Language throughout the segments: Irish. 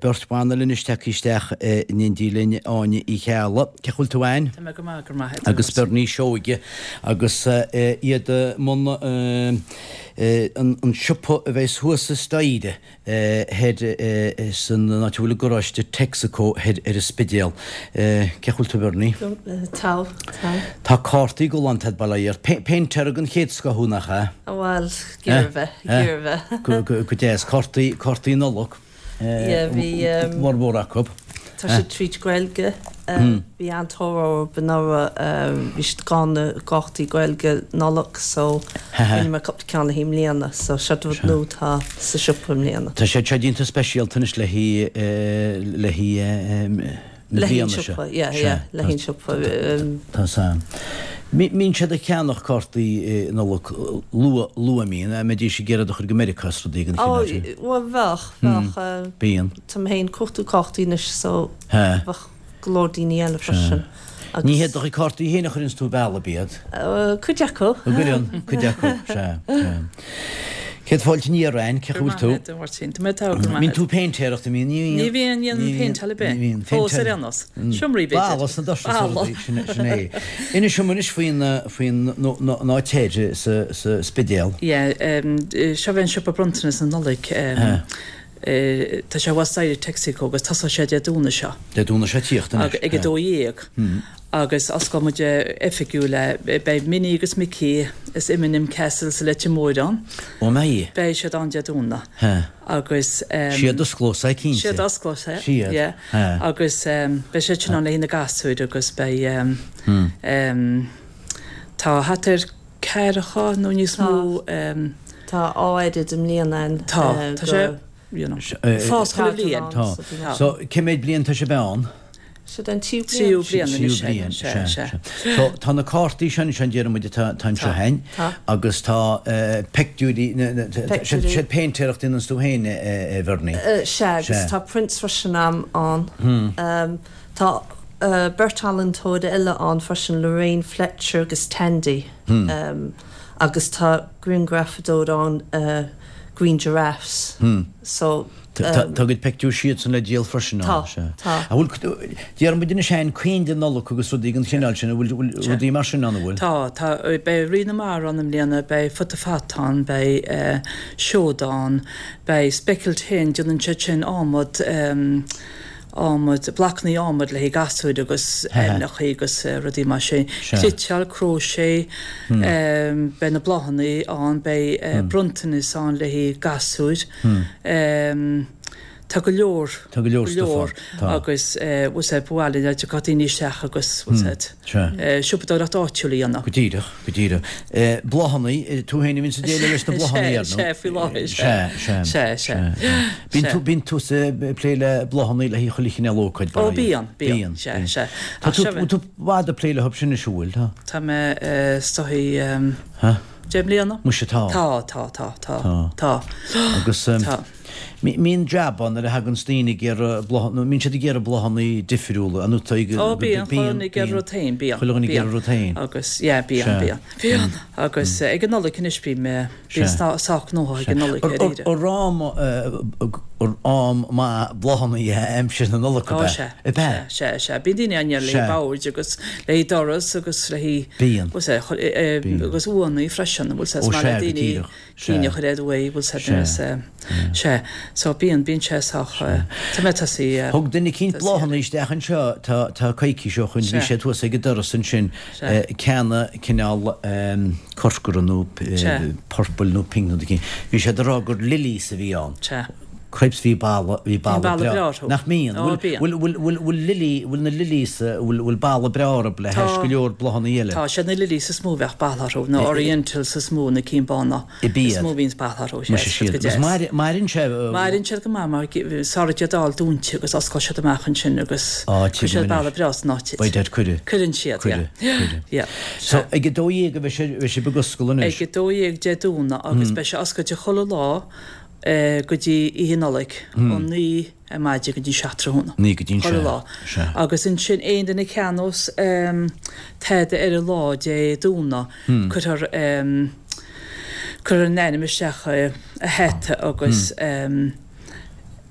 Beirt bhan eile anois tagtha isteach in éindí linn, Áine Uí Cheallaigh. Cén chaoi a bhfuil tú Áine? Tá mé go maith, go raibh maith agat. Agus Bernie Seoige agus iad i mbun an siopa a bheas thuas sa staighre thoir san áit a bhfuil an garáiste Texaco thoir ar an Spidéal. Cén chaoi a bhfuil tú Bernie? Tá, tá. Tá cártaí ag dul ann tá bail ó Dhia ort. Péintéir den chéad scoth thú nach ea? Bhuel, ag iarraidh a bheith, ag iarraidh a bheith. Go deas. Cártaí, cártaí Nollag. Yeah, bhí. Mórmhór acu. Tá siad tríd Gaeilge. Bhí an-tóir orthu anuraidh. Bhí siad gann i gcártaí Gaeilge Nollag so rinne mé cúpla ceann le haghaidh i mbliana. So seo rud nua atá sa siopa i mbliana. Tá siad seo déanta speisialta anois le haghaidh, le haghaidh. na bliana seo. Yeah, yeah, le haghaidh an siopa. Tá sam. Mbíonn siad ag ceannach cártaí Nollag luath, luath mbíonn, a mbeidís ag iarraidh a chur go Meiriceá is rudaí den chineál sin. Ó, bhuel, bheadh, bheadh. Bíonn. Tá mé féin ag cuartú cártaí anois so bheadh go leor daoine eile freisin. Agus. Ní hiad do chuid cártaí féin a chuireanns tú ar bhealach, ab iad? Cuid acu. An gcuireann, cuid acu, sea, sea. Céad fáilte aniar, Ann, cén chaoi a bhfuil tú? Go raibh maith agat, a Mháirtín. Tá mé togha, go raibh maith agat. Mbíonn tú ag péintéireacht, an mbíonn? Ní bhíonn. Ní bhíonn, ní dhéanaim péinteáil ar bith. Ní bhíonn. Fós ar aon nós. Seomraí, b'fhéidir. Balla sna doirse is rudaí, sin sin é. Inis dom anois faoin, faoin áit thoir sa, sa Spidéal. Yeah, seo é an siopa bronntanas na Nollag. Tá sé thuas staighre Texaco agus tosóidh sé Dé Domhnaigh seo. Dé Domhnaigh seo ag tíocht anois. Ag 12:00. Agus osclóidh muid oifigiúil é. Beidh Minnie agus Mickey as M&M Castle sa Leitir Móir ann. Ó mbeidh? Beidh siad ann Dé Domhnaigh. Agus. Siad a osclós é cinnte. Siad a osclós é. Siad. Yeah. Agus beidh siad sin ann le haghaidh na gasúir agus beidh. Tá thart ar ceathracha nó níos mó. Tá oiread i mbliana ann. Tá. Tá sé, you know, fás chuile bhliain. Tá. So, cé mhéad bliain tá sibh ann? Seo an tríú bliain. Tríú bliain anois. Tríú bliain, sea, sea. So, tá na cártaí seo anseo, déarfaidh muid, atá anseo againn. Tá. Agus tá peictiúirí, siad péintéireacht a dhéananns tú féin, a Bhernie. Sea, agus tá prints freisin ann. Tá beirt ealaíontóir eile ann freisin, Lorraine Fletcher agus Tandy. Agus tá grianghrafadóir ann, Green Giraffes. So. Tá a gcuid peictiúr siadsan le díol freisin ann. Tá, tá. An bhfuil, déarfaidh muid anois féin, coinnle Nollag agus rudaí den chineál sin, an bhfuil rudaí mar sin ann, an bhfuil? Tá, tá. Beidh Rí na Mara ann i mbliana, beidh Futa Fata ann, beidh seoda ann, beidh Speckled Hen, déanann siad sin adhmad, adhmad, blocannaí adhmaid le haghaidh gasúir agus aibhneachaí agus rudaí mar sin. Cniotáil, crochet, beidh na bláthannaí ann, beidh bronntanas ann le haghaidh gasúir. Tá go leor, Tá go leor stuff ann. Tá. Agus bhfuil a fhios agat, ba mhaith linn go dtiocfadh daoine isteach agus bhfuil a fhios agat, siopadóireacht áitiúil a dhéanamh. Go díreach, go díreach. Bláthannaí, tú féin a bhíonns ag déileáil leis na bláthannaí, ar ndóigh. Sea, sea, faoi láthair, sea. Sea, sea. Sea, sea. Bíonn tú, bíonn tusa ag plé le bláthannaí le haghaidh chuile chineál ócáid, Ó, bíonn, bíonn, sea, sea. Tá tú, bhfuil tú i bhfad ag plé leo sin anois, an bhfuil? Tá. Tá mé is dóigh, 10 mbliana. Muise tá. Tá, tá, tá, tá, tá. Agus mbíonn jab ann nuair a thaganns daoine ag iarraidh bláthanna, mbíonn siad ag iarraidh bláthanna difriúla, an tá ag, Ó bíonn, chuile dhuine ag iarraidh rud féin, bíonn. Chuile dhuine ag iarraidh rud féin. Agus, yeah, bíonn, bíonn, bíonn. Agus ag an Nollaig anois bím, bíonn sách gnóthach ag an Nollaig dáiríre. Ar am, am maith bláthanna é aimsir na Nollag, ab ea? Ó sea, Ab ea? Sea, sea. Bíonn daoine á n-iarraidh le haghaidh boird agus le haghaidh doras agus le haghaidh. Bíonn. Bhfuil sé, agus uaigheanna freisin, bhfuil sé, is Ó maith le sea, go daoine díreach. cinn a chur ar uaigh, bhfuil sé, Sea. sea. Sea. So bíonn, bíonn sé sách, tá mé tosaithe. Thug duine eicínt bláthanna isteach anseo, tá, tá coicís ó shoin, bhí Sea. sé thuas ag an doras ansin, Sea. ceanna cineál corcra nó Sea. purple nó pink nó rud eicínt. Bhí siad ag rá gur lilies a bhí ann. Sea. Cripes bhí bala, bhí Bíonn bala bala breá. breá orthu. Nach mbíonn? Ó, bíonn. Bhfuil, bhfuil, bhfuil, bhfuil lily, bhfuil na lilies, bhfuil, bhfuil bala breá orthu le hais Tá. go leor bláthanna eile? Tá, siad na lilies is mó a bheadh bala orthu, na orientals is mó, na cinn bána Ab is iad. mó a bhíonns bala orthu, sea, Muise is siad siad. go Agus deas. mair, maireann sé, Maireann siad go maith mar sara iad a fháil dúinte agus osclaíonn siad amach ansin agus Á, cuireann tuigim siad bala anois. breá san áit. By dad cuireadh. Cuireann siad, yeah. Cuireadh, cuireadh. Yeah, So, sea. ag 12 a bheidh sé, bheidh sibh ag oscailt anois? Ag 12 Dé Domhnaigh agus beidh sé oscailte chuile lá go dtí Oíche Nollag, ó 9 ar maidin go dtí 7 tráthnóna. 9 go dtí an Chuile lá. sea. Agus ansin aon duine a cheannós tada ar an lá Dé Domhnaigh, cuirfear cuirfear a n-ainm isteach i hata agus.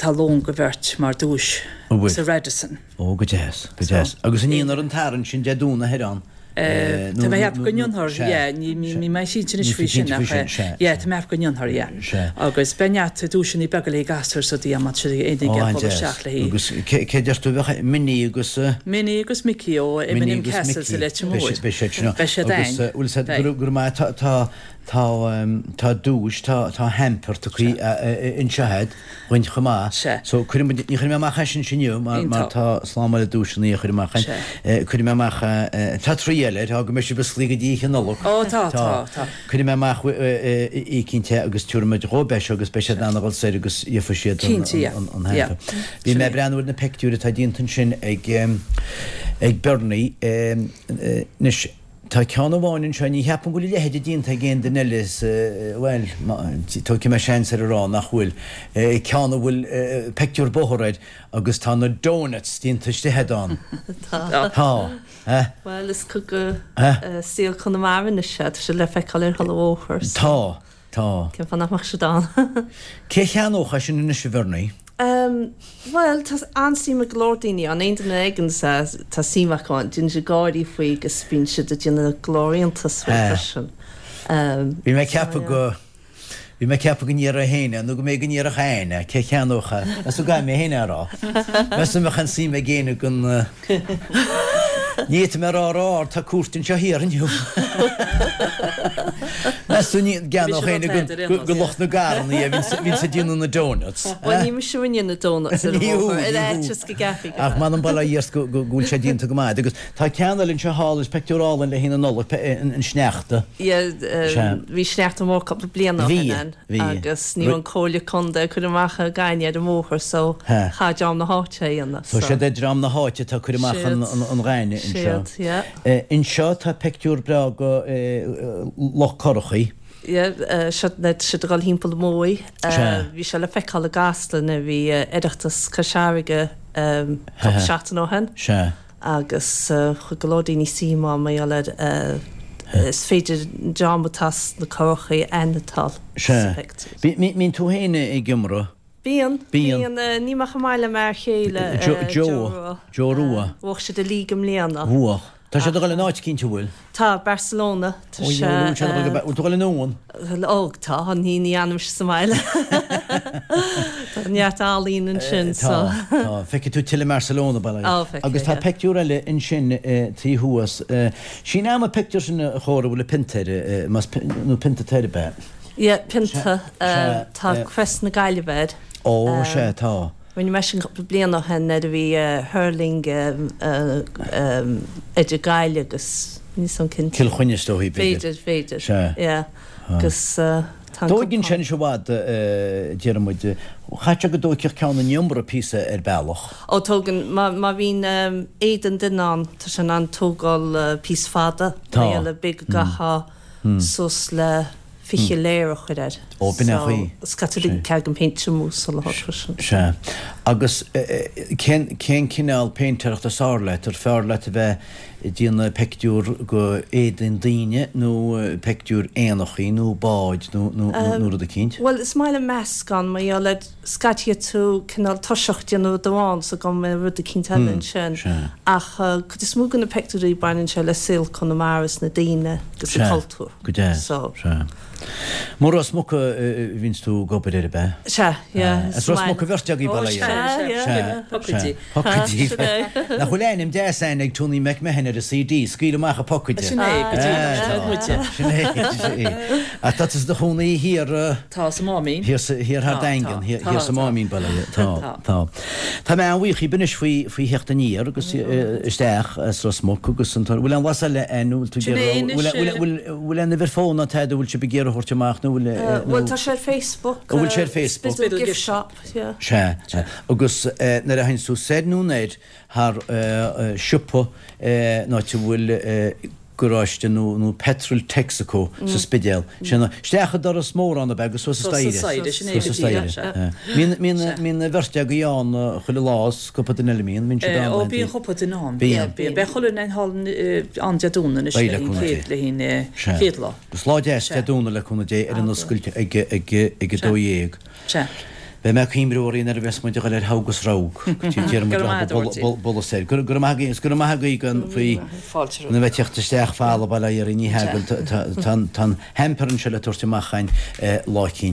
Tá lón go bheirt mar duais sa Radisson. Ó, go deas, go deas. Agus an ndéanfar an tarraingt sin Dé Domhnaigh thoir ann? Tá mé ag ceapadh go ndéanfar, yeah, níl mé cinnte anois faoi sin ach yeah, tá mé ag ceapadh go ndéanfar, yeah. Agus beidh neart duaiseanna beaga le gasúir sa dí má tá siad ag éinne ag dul isteach léi. Agus cé deir tú a bheadh Minnie agus. Minnie agus Mickey ó M&M Castle sa Leitir Móir. Beidh siad sin ann. Beidh siad ann. Agus bhfuil siad, go raibh maith, tá, tá, tá duais, tá, tá hamper tugtha anseo agat. Dhuinn chomh maith. Sea. So, cuirfidh muid, ní chuirfidh mé amach é sin inniu mar, mar tá slám eile duaiseanna a chur amach againn. Sea. Cuirfidh mé amach, tá triail air, tá go mbeidh sibh osclaithe go dtí Oíche Nollag. Ó, tá, tá, tá. Cuirfidh mé amach oícheanta é agus tabharfaidh muid dhóibh é seo agus beidh siad in ann a dhul soir agus gheobhaidh siad an, Cinnte, yeah. an, an Yeah. hamper. Bhí mé ag breathnú ar na peictiúir atá déanta ansin ag, ag Bernie. Anois, Tá ceann amháin anseo, ní cheapaim go bhfuil a leithéide déanta ag aon duine eile sa, bhuel, tógfaidh mé seans ar a rá nach bhfuil, ceann a bhfuil peictiúr bóthair air agus tá na donuts déanta istigh agat ann. Tá. Tá. Eh? Bhuel, is cuid de saol Chonamara anois é, tá sé le feiceáil ar chuile bhóthar. Tá. Tá. Cén fáth nach mbeadh siad ann? Cé cheannódh é sin anois, a Bhernie? Bhuel, tá an-suim ag go leor daoine ann. Aon duine a fheiceann é, tá suim acu ann. Déanann siad gáirí faoi agus bíonn siad ag déanamh go leor iontas faoi freisin. Bhí mé ag ceapadh go, bhí mé ag ceapadh go ndéarfá féin é, nó go mb'fhéidir go ndéarfadh Anne é, cé cheannódh é? Meas tú go gcaithfidh mé féin é a rá? Meas tú an mbeadh aon suim ag éinne gon. Ní fhéadfaidh mé a rá ró-ard, tá cúirt anseo thiar inniu. Meas tú an gceannódh éinne go lucht na gcarranna é, a bhíonns ag déanamh na donuts? Bhuel, ní mise a rinne na donuts ar an bhóthar, ar fhaitíos go gceapfaí go. Ach m'anam bail ó Dhia ort go bhfuil sé déanta go maith. Agus tá ceann eile anseo thall, is peictiúr álainn le haghaidh na Nollag, an sneachta. Yeah, bhí sneachta mór cúpla bliain ó shin ann. Bhí. Agus ní raibh an comhairle contae ag cur amach an ghainne ar an mbóthar so chaith dream na háite é a dhéanamh so. So siad é dream na háite atá ag cur amach an ghainne anseo. Siad, yeah. Anseo tá peictiúr breá go Loch Corrachaí. Yeah, seo siad ag dul thimpeall an Mhóidh. Bhí sé le feiceáil i gCasla nuair a bhí Oireachtas Cois Fharraige cúpla seachtain ó shin. Sea. agus chuir go leor daoine suim ann mar gheall ar is féidir an dream atá sna currachaí a aithneachtáil sa phictiúr. Sea. Mbíonn tú féin ag iomramh? Bíonn. Bíonn. Ní mé chomh maith le m'fhear chéile, Joe Rua. Joe Rua. Bhuaigh siad an league i mbliana. Bhuaigh. Tá siad ag dul in áit eicínt, an bhfuil? Tá, Barcelona. Tá sé. Ó, bhfuil tú ag dul anonn? Ó, tá, ní ní fhanfaimse sa mbaile. Tá neart ealaín ansin, so. Tá, tá. Feicfidh tú tuilleadh Barcelona, bail ó Dhia. Ó, feicfidh, Agus tá peictiúr eile ansin taobh thuas. Sin am an peictiúr sin a chóir a bhfuil an pionta air, más nó pionta atá air, ab ea? Yeah, pionta. Tá Crest na Gaillimhe air. Ó, sea, tá. Rinne mé sin cúpla bliain ó shin nuair a bhí hurling idir Gaillimh agus, níl 's agam cinnte. Cill Chainnigh is dóichí, b'fhéidir. B'fhéidir, b'fhéidir. Sea. Yeah. Agus tá an Dóigeann sé anois i bhfad, déarfaidh muid. Chaithfeadh sé go dtóigfeadh ceann an iomramh píosa ar bealach. Ó tógann, má bhíonn éadan duine ann, tá sé in ann tógáil píosa fada. Tá. Mar gheall ar b'fhéidir go gcaithfeá suas le 20 layer a chur air. Ó, b'in é an chaoi. So, scaití caithfidh an péint tirmú sula freisin. Sea. Agus cén, cén cineál péintéireachta is fearr leat? Ar fearr leat a bheith ag déanamh peictiúr go éadain daoine nó peictiúr éanachaí nó báid nó, nó, nó rud eicínt? Bhuel, is maith liom meascán, mar gheall ar scaití tú cineál toiseacht déanamh rud amháin so go mbeidh rud eicínt eile ansin. Sea. Ach cuid is mó de na peictiúirí baineann sé le saol Conamara is na daoine agus an cultúr. Go deas. So. Sea. Mar Ros Muc a bhíonns tú ag obair air, ab ea? Sea, yeah. As Ros Muc an bheirt agaibh, bail ó Dhia oraibh. Sea, yeah. Sea, Pocaidí. sea. Pocaidí. Nach bhfuil ainm deas a'inn ag Tony McMahon ar an CD, Scaoil Amach a Phocaide. Sin é, go díreach, sin muide. Sin é, sin é. Ach tá tusa i do chónaí thiar. Tá, sa Máimín. Thiar sa, thiar thar Daingean, thiar sa Máimín, bail ó Dhia. Tá, tá. Tá mé an-bhuíoch dhíbh anois faoi, faoi theacht aniar agus isteach as Ros Muc agus an, bhfuil aon bhlas eile a'inn, bhfuil tú ag iarraidh, bhfuil, bhfuil, bhfuil, bhfuil aon uimhir fóin ná tada a bhfuil sibh ag iarraidh a thabhairt amach nó bhfuil, nó. Bhuel tá sé ar Facebook. An bhfuil sé ar Facebook? Spiddal Gift Shop, yeah. Sea, agus nuair a théanns tú soir nó anoir thar siopa an áit a bhfuil garáiste nó nó petrol Texaco sa Spidéal. Sin isteach an doras mór ann ab ea agus suas an staighre. Suas an staighre, sin é go díreach, sea. Mbíonn mbíonn mbíonn an bheirt agaibh ann chuile lá is cúpla duine eile mbíonn, mbíonn siad ann. Ó bíonn cúpla duine ann. Bíonn. Bíonn. Beidh chuile dhuine thall ann Dé Domhnaigh anois Beidh le le cúnamh chéad Dé. le haghaidh an chéad lá. Agus lá deas Dé Domhnaigh le cúnamh Dé ar an oscailt ag ag ag 12. Sea. Beidh mé ag cuimhniú oraibh nuair a bheas muid ag dul ar thogh agus rogh. Déarfaidh muid leo bualadh soir. Go raibh maith agaibh agus go raibh maith agaibh gan faoi na bheith teacht isteach falla baile iarraidh ní hea tá an hamper anseo le tabhairt amach againn lá eicínt.